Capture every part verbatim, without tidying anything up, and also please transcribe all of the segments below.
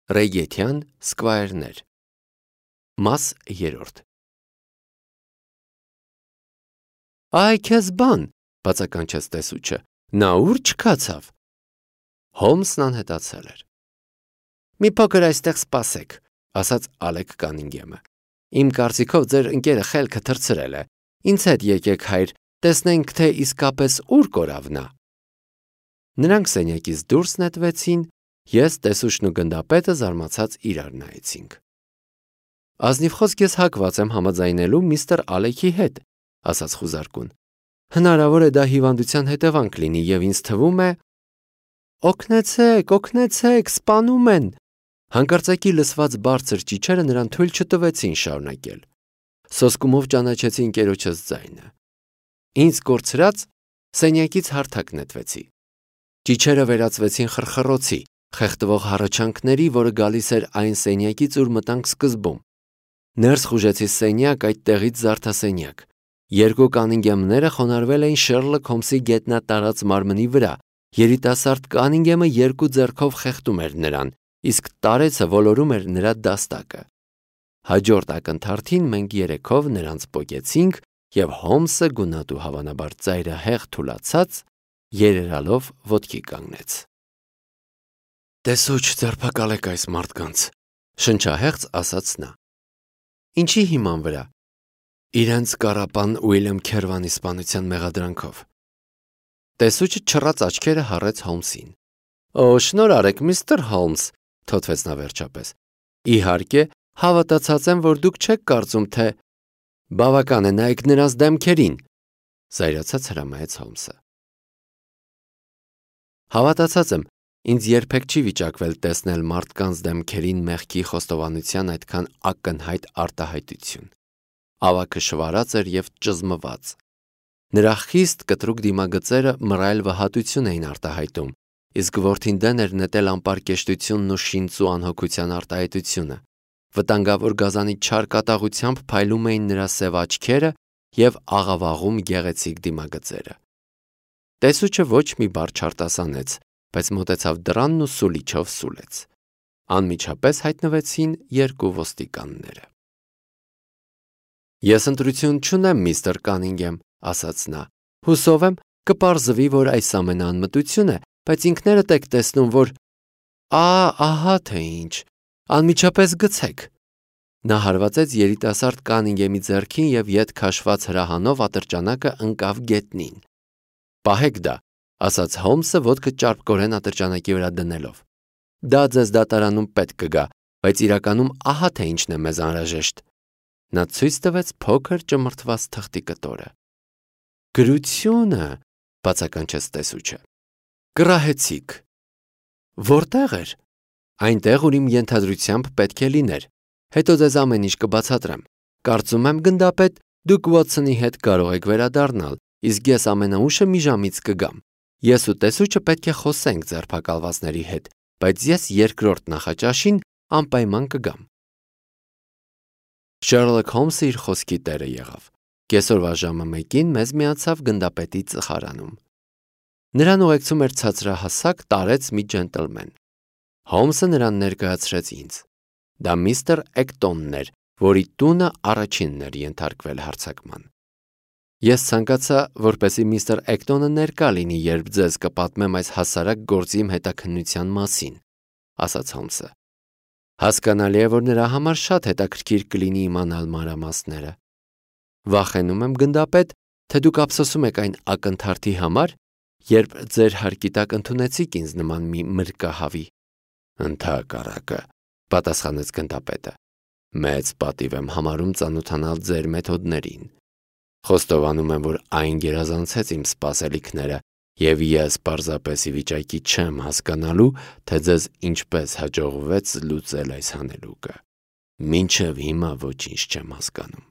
Ռեյգեթյան սկվայրներ։ Մաս երրորդ։ Այ քեզ բան, բացականչեց տեսուչը, նա ուր չքացավ։ Հոլմսն անհետացել էր։ Մի փոքր այստեղ սպասեք, ասաց Ալեք Կանինգեմը։ Իմ կարծիքով ձեր ընկերը խելքը թռցրել է։ Ինձ հետ եկեք, հայր, տեսնենք, թե իսկապես ուր կորավ նա։ Նրանք սենյակից դուրս նետվեցին, ես, տեսուչն ու գնդապետը զարմացած իրար նայեցինք։ Ազնիվ խոսք ես հակված եմ համաձայնելու միստր Ալեքի հետ, ասաց խուզարկուն։ Հնարավոր է դա հիվանդության հետևանք լինի եւ ինձ թվում է… Օգնեցեք, օգնեցեք, սպանում են։ Հանկարծակի լսված բարձր ճիչերը նրան թույլ չտվեցին շարունակել։ Սոսկումով ճանաչեցի ընկերոջս ձայնը։ Ինձ կորցրած սենյակից հարթակ նետվեցի։ Ճիչերը վերածվեցին խրխռոցի, խեղդվող հառաչանքների, որը գալիս էր այն սենյակից, ուր մտանք սկզբում։ Ներս խուժեցի սենյակ, այդտեղից զարդասենյակ։ Երկու Կանինգեմները խոնարհվել էին Շերլոկ Հոլմսի գետնատարած մարմնի վրա։ Երիտասարդ Կանինգեմը երկու ձեռքով խեղդում էր նրան, իսկ տարեցը ոլորում էր նրա դաստակը։ Հաջորդ ակնթարթին մենք երեքով նրանց պոկեցինք, եւ Հոլմսը գունատ ու հավանաբար ծայրահեղ թուլացած երերալով ոտքի կանգնեց։ Տեսուչ, ձերբակալեք այս մարդկանց, շնչահեղձ ասաց նա։ Ինչի հիման վրա։ Իրենց կառապան Ուիլյամ Քերվանի սպանության մեղադրանքով։ Տեսուչը չռած աչքերը հառեց Հոլմսին։ Օ, շնորհարեք, միստր Հոլմս, թոթվեց նա վերջապես։ Իհարկե, հավատացած եմ, որ դուք չեք կարծում, թե… Բավական է, նայեք նրանց դեմքերին, զայրացած հրամայեց Հոլմսը։ Հավատացած եմ, ինձ երբեք չի վիճակվել տեսնել մարդկանց դեմքերին մեղքի խոստովանության այդքան ակնհայտ արտահայտություն։ Ավագը շվարած էր եւ ճզմված։ Նրա խիստ կտրուկ դիմագծերը մռայլ վհատություն էին արտահայտում, իսկ որդին դեն էր նետել անպարկեշտությունն ու շինծու անհոգության արտահայտությունը։ Վտանգավոր գազանի չար կատաղությամբ փայլում էին նրա սև աչքերը եւ աղավաղում գեղեցիկ դիմագծերը։ Տեսուչը ոչ մի բառ չարտասանեց, բայց մոտեցավ դռանն ու սուլիչով սուլեց։ Անմիջապես հայտնվեցին երկու ոստիկանները։ Ես ընտրություն չունեմ, միստր Կանինգեմ, ասաց նա։ Հուսով եմ, կպարզվի, որ այս ամենը անմտություն է, բայց ինքներդ եք տեսնում, որ… Ա, ահա թե ինչ, անմիջապես գցեք։ Նա հարվածեց երիտասարդ Կանինգեմի ձեռքին եւ ետ քաշված հրահանով ատրճանակը ընկավ գետնին։ Պահեք դա, ասաց Հոլմսը ոտքը ճարպկորեն ատրճանակի վրա դնելով։ Դա ձեզ դատարանում պետք կգա, բայց իրականում ահա թե ինչն է մեզ անհրաժեշտ։ Նա ցույց տվեց փոքր ճմրթված թղթի կտորը։ Գրությունը, բացականչեց տեսուչը։ Կռահեցիք։ Որտեղ էր։ Այնտեղ, ուր իմ ենթադրությամբ պետք է լիներ։ Հետո ձեզ ամեն ինչ կբացատրեմ։ Կարծում եմ, գնդապետ, դուք Ուոթսոնի հետ կարող եք վերադառնալ, իսկ ես ամենաուշը մի ժամից կգամ։ Ես ու տեսուչը պետք է խոսենք ձերբակալվածների հետ, բայց ես երկրորդ նախաճաշին անպայման կգամ։ Շերլոկ Հոլմսը իր խոսքի տերը եղավ։ Կեսօրվա ժամը մեկին մեզ միացավ գնդապետի ծխարանում։ Նրան ուղեկցում էր ցածրահասակ տարեց մի ջենտլմեն։ Հոլմսը նրան ներկայացրեց ինձ։ Դա միստր Էկտոնն էր, որի տունը առաջինն էր ենթարկվել հարձակման։ Ես ցանկացա, որպեսզի միստր Էկտոնը ներկա լինի, երբ ձեզ կպատմեմ այս հասարակ գործի իմ հետաքննության մասին, ասաց Հոլմսը։ Հասկանալի է, որ նրա համար շատ հետաքրքիր կլինի իմանալ մանրամասները։ Վախենում եմ, գնդապետ, թե դուք ափսոսում եք այն ակնթարթի համար, երբ ձեր հարկի տակ ընդունեցիք ինձ նման մի մրկահավի։ Ընդհակառակը, պատասխանեց գնդապետը։ Մեծ պատիվ եմ համարում ծանոթանալ ձեր մեթոդներին։ Խոստովանում եմ, որ այն գերազանցեց իմ սպասելիքները, եւ ես պարզապես ի վիճակի չեմ հասկանալու, թե ձեզ ինչպես հաջողվեց լուծել այս հանելուկը։ Մինչև հիմա ոչինչ չեմ հասկանում։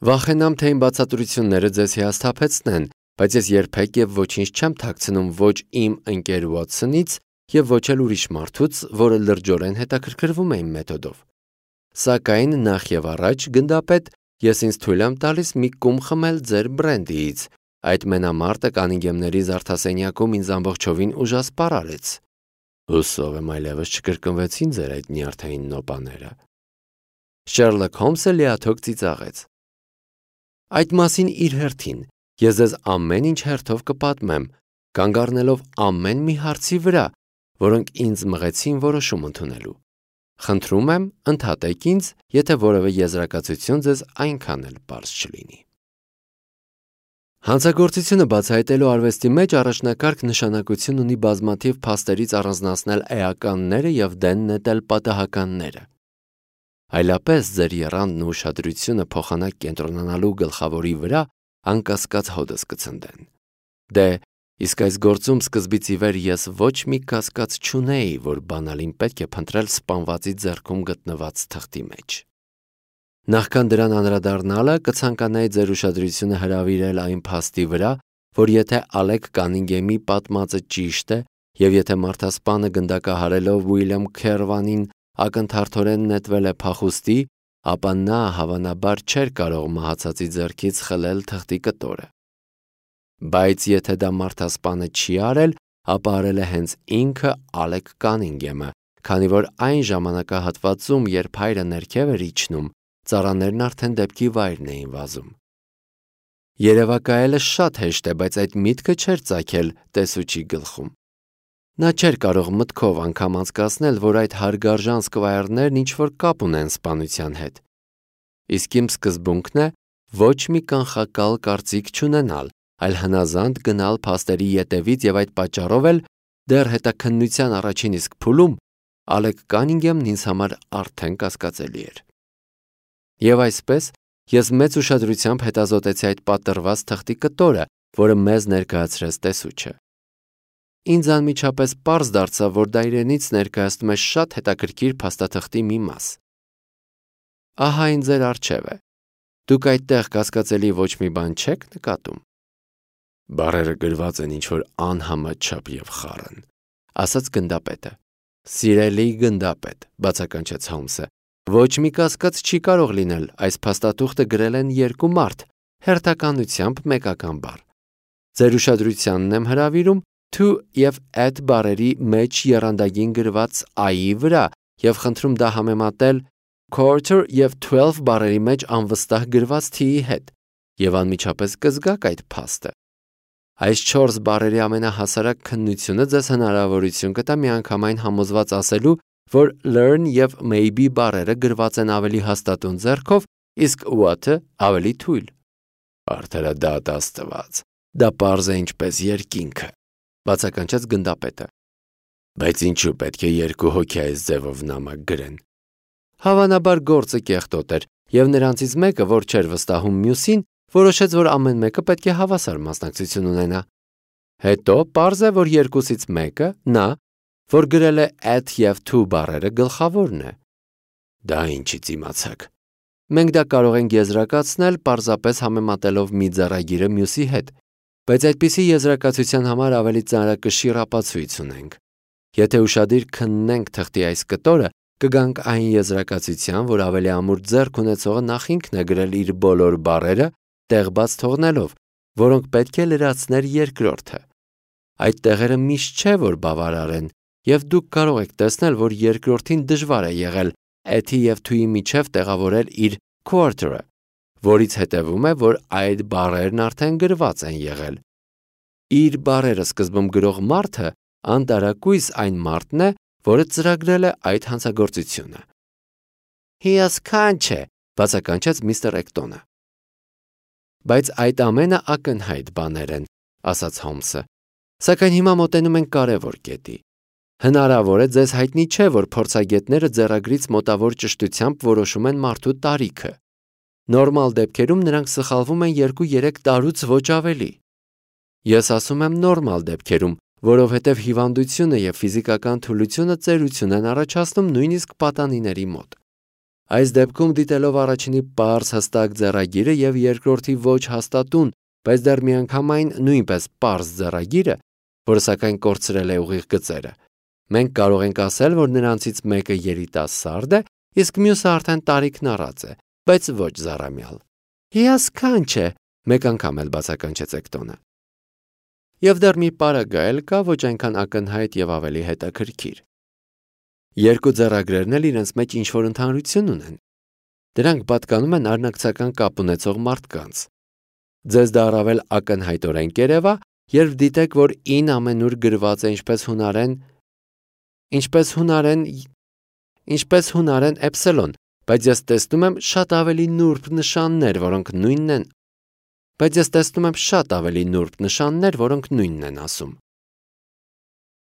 Վախենամ, թե իմ բացատրությունները ձեզ հիասթափեցնեն, բայց ես երբեք եւ ոչինչ չեմ թաքցնում ոչ իմ ընկեր Ուոթսոնից եւ ոչ էլ ուրիշ մարդուց, որը լրջորեն հետաքրքրվում է իմ մեթոդով։ Սակայն նախ եւ առաջ, գնդապետ, ես ինձ թույլ եմ տալիս մի կում խմել ձեր բրենդիից։ Այդ մենամարտը Կանինգեմների զարդասենյակում ինձ ամբողջովին ուժասպառ արեց։ Հուսով եմ այլևս չկրկնվեցին ձեր այդ նյարդային նոպաները։ Շերլոկ Հոլմսը լիաթոք ծիծաղեց։ Այդ մասին իր հերթին ես ձեզ ամեն ինչ հերթով կպատմեմ, կանգ առնելով ամեն մի հարցի վրա, որոնք ինձ մղեցին որոշում ընդունելու։ Խնդրում եմ, ընդհատեք ինձ, եթե որևէ եզրակացություն ձեզ այնքան էլ պարզ չլինի։ Հանցագործությունը բացահայտելու արվեստի մեջ առաջնակարգ նշանակություն ունի բազմաթիվ փաստերից առանձնացնել էականները և դեն նետել պատահականները։ Այլապես ձեր եռանդն ու ուշադրությունը փոխանակ կենտրոնանալու գլխավորի վրա անկասկած հոդս կցնդեն։ Դե, իսկ այս գործում սկզբից ի վեր ես ոչ մի կասկած չունեի, որ բանալին պետք է փնտրել սպանվածի ձեռքում գտնված թղթի մեջ։ Նախքան դրան անդրադառնալը կցանկանայի ձեր ուշադրությունը հրավիրել այն փաստի վրա, որ եթե Ալեք Կանինգեմի պատմածը ճիշտ է, և եթե մարդասպանը գնդակահարելով Ուիլյամ Քերվանին ակնթարթորեն նետվել է փախուստի, ապա նա հավանաբար չէր կարող մահացածի ձեռքից խլել թղթի կտորը։ Բայց եթե դա մարդասպանը չի արել, ապա արել է հենց ինքը Ալեք Կանինգեմը, քանի որ այն ժամանակահատվածում, երբ հայրը ներքև էր իջնում, ծառաներն արդեն դեպքի վայրն էին վազում։ Երևակայելը շատ հեշտ է, բայց այդ միտքը չէր ծագել տեսուչի գլխում։ Նա չէր կարող մտքով անգամ անցկացնել, որ այդ հարգարժան սկվայրներն ինչ-որ կապ ունեն սպանության հետ։ Իսկ իմ սկզբունքն է ոչ մի կանխակալ կարծիք չունենալ, այլ հնազանդ գնալ փաստերի ետևից և այդ պատճառով էլ դեռ հետաքննության առաջին իսկ փուլում Ալեք Կանինգեմն ինձ համար արդեն կասկածելի էր։ Եվ այսպես ես մեծ ուշադրությամբ հետազոտեցի այդ պատռված թղթի կտորը, որը մեզ ներկայացրեց տեսուչը։ Ինձ անմիջապես պարզ դարձավ, որ դա իրենից ներկայացնում է շատ հետաքրքիր փաստաթղթի մի մաս։ Ահա այն ձեր առջև է։ Դուք այդտեղ կասկածելի ոչ մի բան չեք նկատում։ Բառերը գրված են ինչ-որ անհամաչափ և խառն, ասաց գնդապետը։ Սիրելի գնդապետ, բացականչեց Հոլմսը, ոչ մի կասկած չի կարող լինել, այս փաստաթուղթը գրել են երկու մարդ, հերթականությամբ մեկական բառ։ Ձեր ուշադրությանն եմ հրավիրում to և at բառերի մեջ եռանդագին գրված I-ի վրա և խնդրում դա համեմատել quarter և twelve բառերի մեջ անվստահ գրված T-ի հետ, և անմիջապես կզգաք այդ փաստը։ Այս չորս բառերի ամենահասարակ քննությունը ձեզ հնարավորություն կտա միանգամայն համոզված ասելու, որ learn և maybe բառերը գրված են ավելի հաստատուն ձեռքով, իսկ what-ը ավելի թույլ։ Արդարադատ Աստված, դա պարզ է ինչպես երկինքը, բացականչեց գնդապետը։ Բայց ինչու պետք է երկու հոգի այս ձևով նամակ գրեն։ Հավանաբար գործը կեղտոտ էր, և նրանցից մեկը, որ չէր վստահում մյուսին, որոշեց, որ ամեն մեկը պետք է հավասար մասնակցություն ունենա։ Հետո պարզ է, որ երկուսից մեկը, նա, որ գրել է at և to բառերը, գլխավորն է։ Դա ինչից իմացաք։ Մենք դա կարող ենք եզրակացնել պարզապես համեմատելով մի ձեռագիրը մյուսի հետ, բայց այդպիսի եզրակացության համար ավելի ծանրակշիռ ապացույց ունենք։ Եթե ուշադիր քննենք թղթի այս կտորը, կգանք այն եզրակացության, որ ավելի ամուր ձեռք ունեցողը նախ ինքն է գրել իր բոլոր բառերը, տեղ բաց թողնելով, որոնք պետք է լրացներ երկրորդը։ Այդ տեղերը միշտ չէ, որ բավարար են, և դուք կարող եք տեսնել, որ երկրորդին դժվար է եղել at-ի և to-ի միջև տեղավորել իր quarter-ը, որից հետևում է, որ այդ բառերն արդեն գրված են եղել։ Իր բառերը սկզբում գրող մարդը անտարակույս այն մարդն է, որը ծրագրել է այդ հանցագործությունը։ Հիասքանչ է, բացականչեց միստր Էկտոնը։ Բայց այդ ամենը ակնհայտ բաներ են, ասաց Հոլմսը, սակայն հիմա մոտենում ենք կարևոր կետի։ Հնարավոր է ձեզ հայտնի չէ, որ փորձագետները ձեռագրից մոտավոր ճշտությամբ որոշում են մարդու տարիքը։ Նորմալ դեպքերում նրանք սխալվում են երկու-երեք տարուց ոչ ավելի։ Ես ասում եմ նորմալ դեպքերում, որովհետև հիվանդությունը և ֆիզիկական թուլությունը ծերություն են առաջացնում նույնիսկ պատանիների մոտ։ Այս դեպքում դիտելով առաջինի պարզ հստակ ձեռագիրը և երկրորդի ոչ հաստատուն, բայց դեռ միանգամայն նույնպես պարզ ձեռագիրը, որը սակայն կորցրել է ուղիղ գծերը, մենք կարող ենք ասել, որ նրանցից մեկը երիտասարդ է, իսկ մյուսը արդեն տարիքն առած է, բայց ոչ զառամյալ։ Հիասքանչ է, մեկ անգամ էլ բացականչեց Էկտոնը։ Եվ դեռ մի պարագա էլ կա, ոչ այնքան ակնհայտ եւ ավելի հետաքրքիր։ Երկու ձեռագրերն էլ իրենց մեջ ինչ-որ ընդհանրություն ունեն։ Դրանք պատկանում են արնակցական կապ ունեցող մարդկանց։ Ձեզ դա առավել ակնհայտորեն կերևա, երբ դիտեք, որ ին ամենուր գրված է ինչպես հունարեն, ինչպես հունարեն, ինչպես հունարեն էպսիլոն, բայց ես տեսնում եմ շատ ավելի նուրբ նշաններ, որոնք նույնն են, բայց ես տեսնում եմ շատ ավելի նուրբ նշաններ, որոնք նույնն են ասում։